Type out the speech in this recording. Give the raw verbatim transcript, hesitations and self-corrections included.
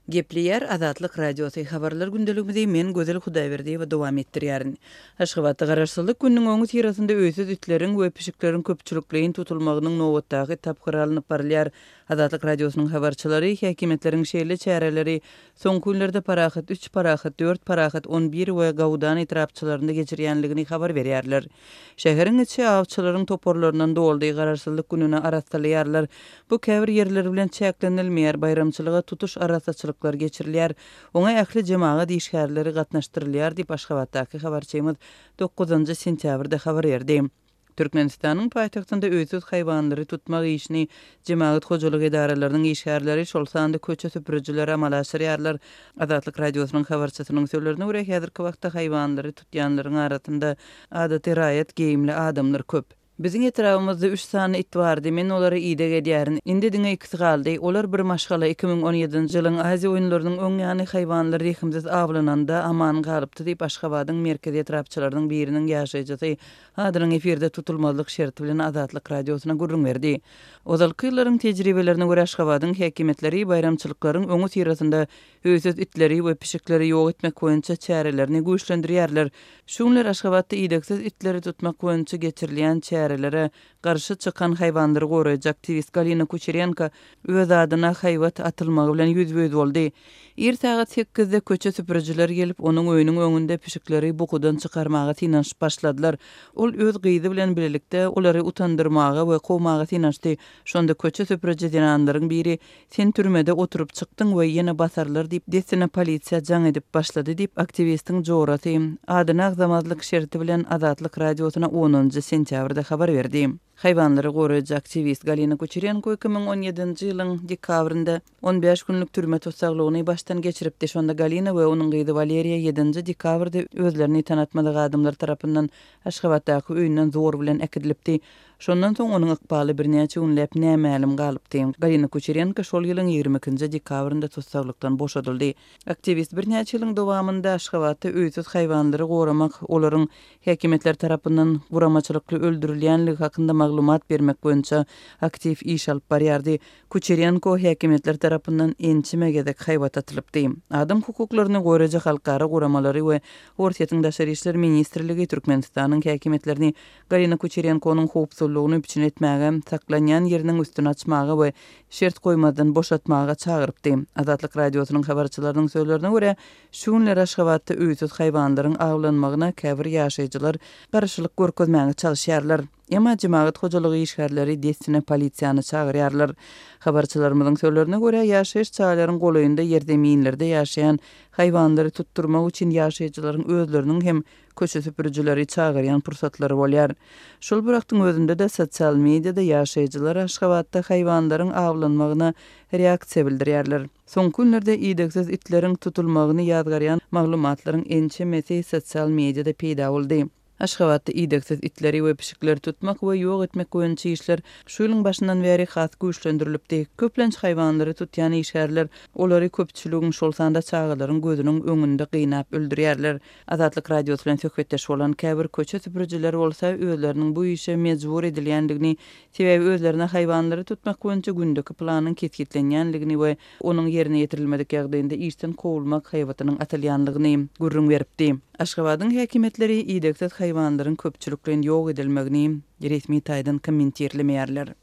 Gepleýär Azatlyk Radiosy, Habarlar gündeligimizi men Gözel Hudaýberdiýewa dowam etdirýärin. Aşgabatda Garaşsyzlyk gününiň öňüsyrasynda öýsüz itleriň we pişikleriň köpçülikleýin tutulmagynyň nobatdaky tapgyry alnyp barylýar. Azatlyk Radiosynyň habarçylary häkimiýetleriň şeýle çäreleri soňky günlerde Parahat üç, Parahat dört, Parahat on bir we Gaudan etrapçalarynda geçirýänligini habar berýärler. Şäheriň içi awçylaryň toparlaryndan doldy, Garaşsyzlyk gününi arassalaýarlar. Bu käbir ýerler bilen çäklenilmeýär, baýramçylyga tutuş arassaçylyklar geçirilýär. Oňa ähli jemagat işgärleri gatnaşdyrylýar diýip, Aşgabatdaky habarçymyz dokuzynjy sentýabrda habar berdi. Türkmenistanyň paýtagtynda öýsüz haýwanlary tutmak işini jemagat hojalyk edaralarynyň işgärleri, şol sanda köçe süpürijiler amala aşyrýarlar. Azatlyk Radiosynyň habarçysynyň sözlerine görä, häzirki wagtda haýwanlary tutýanlaryň arasynda adaty raýat geýimli adamlar köp. Biziň etrabymyzda üç sany it bardy, men olary ideg edýärin. Indi diňe ikisi galdy. Olar bir maşgala iki müň on ýedinji ýylyň Aziýa oýunlarynyň öň ýany haýwanlar rehimsiz awlananda aman galypdy diýip, Aşgabadyň merkezi etrapçalarynyň biriniň ýaşaýjysy adynyň efirde tutulmazlyk şerti bilen Azatlyk Radiosyna gürrüň berdi. Ozalky ýyllaryň tejribelerine görä, Aşgabadyň häkimiýetleri baýramçylyklaryň öňüsyrasynda öýsüz itleri we pişikleri ýok etmek boýunça çärelerini güýçlendirýärler. Şu günler Aşgabatda idegsiz itleri tutmak boýunça geçirilýän çärelere garşy çykan haýwanlary goraýjy aktiwist Galina Kuçerenko öz adyna haýbat atylmagy bilen ýüzbe-ýüz boldy. Ir sagat sekizde köçe süpürijiler gelip, onuň öýüniň öňünde pişikleri bukudan çykarmaga synanyşyp başladylar. Ol öz gyzy bilen birlikde olary utandyrmaga we kowmaga synanyşdy. Şonda köçe süpüriji zenanlaryň biri, Sen türmede oturyp çykdyň we ýene basarlar diýip, dessine polisiýa jaň edip başlady diýip, aktiwistiň jorasy, adyny agzamazlyk şerti bilen Azatlyk Radiosyna onunjy sentýabrda habar berdi. Haýwanlary goraýjy aktiwist Galina Kuçerenko iki müň on ýedinji ýylyň dekabrynda on bäş günlük türme tussaglygyny başdan geçiripdi. Şonda Galina we onuň gyzy Waleriýa ýedinji dekabrda özlerini tanatmadyk adamlar tarapyndan Aşgabatdaky öýünden zor bilen äkidilipdi. Şondan soň onuň ykbaly birnäçe günläp nämälim galypdy. Galina Kuçerenko şol ýylyň ýigrimi ikinji dekabrynda tussaglykdan boşadyldy. Aktiwist birnäçe ýylyň dowamynda Aşgabatda öýsüz haýwanlary goramak, olaryň häkimiýetler tarapyndan guramaçylykly öldürilýänligi hakynda maglumat bermek boýunça aktiw iş alyp barýardy. Kuçerenko häkimiýetler tarapyndan ençeme gezek haýbat atylypdy. Adam hukuklaryny goraýjy halkara guramalary we Orsýetiň Daşary işler ministrligi Türkmenistanyň häkimiýetlerini Galina Kuçerenkonyň howpsuzlygyny üpjün etmäge, saklanýan ýeriniň üstüni açmaga we şert goýmazdan boşatmaga çagyrypdy. Azatlyk Radiosynyň habarçylarynyň sözlerine görä, şu günler Aşgabatda öýsüz haýwanlaryň awlanmagyna käbir ýaşaýjylar garşylyk görkezmäge çalyşýarlar. Emma jemagat hojalygy işgärleri dessine polisiýany çagyrýarlar. Habarçylarymyzyň sözlerine görä, ýaşaýyş jaýlaryň golaýynda ýerzeminlerde ýaşaýan haýwanlary tutdurmak üçin ýaşaýjylaryň özleriniň hem köçe süpürijileri çagyrýan pursatlary bolýar. Şol bir wagtyň özünde-de sosial mediada ýaşaýjylar Aşgabatda haýwanlaryň awlanmagyna reaksiýa bildirýärler. Soňky günlerde idegsiz itleriň tutulmagyny ýazgarýan maglumatlaryň ençemesi sosial mediada peýda boldy. Aşgabatda idegsiz itleri we pişikleri tutmak we ýok etmek boýunça işler şu ýylyň başyndan bäri has güýçlendirilipdi. Köplenç haýwanlary tutýan işgärler olary köpçüligiň, şol sanda çagalaryň gözüniň öňünde gynap öldürýärler. Azatlyk Radiosy bilen söhbetdeş bolan käbir köçe süpürijiler bolsa özleriniň bu işe mejbur edilýändigini, sebäbi özlerine haýwanlary tutmak boýunça gündeki planyň kesgitlenýändigini we onuň ýerine ýetirilmedik ýagdaýynda işden kowulmak haýbatynyň atylýandygyny gürrüň beripdi. Aşgabadyň häkimiýetleri idegsiz haýwanlaryň köpçülikleýin ýok edilmegini resmi taýdan kommentirlemeýärler.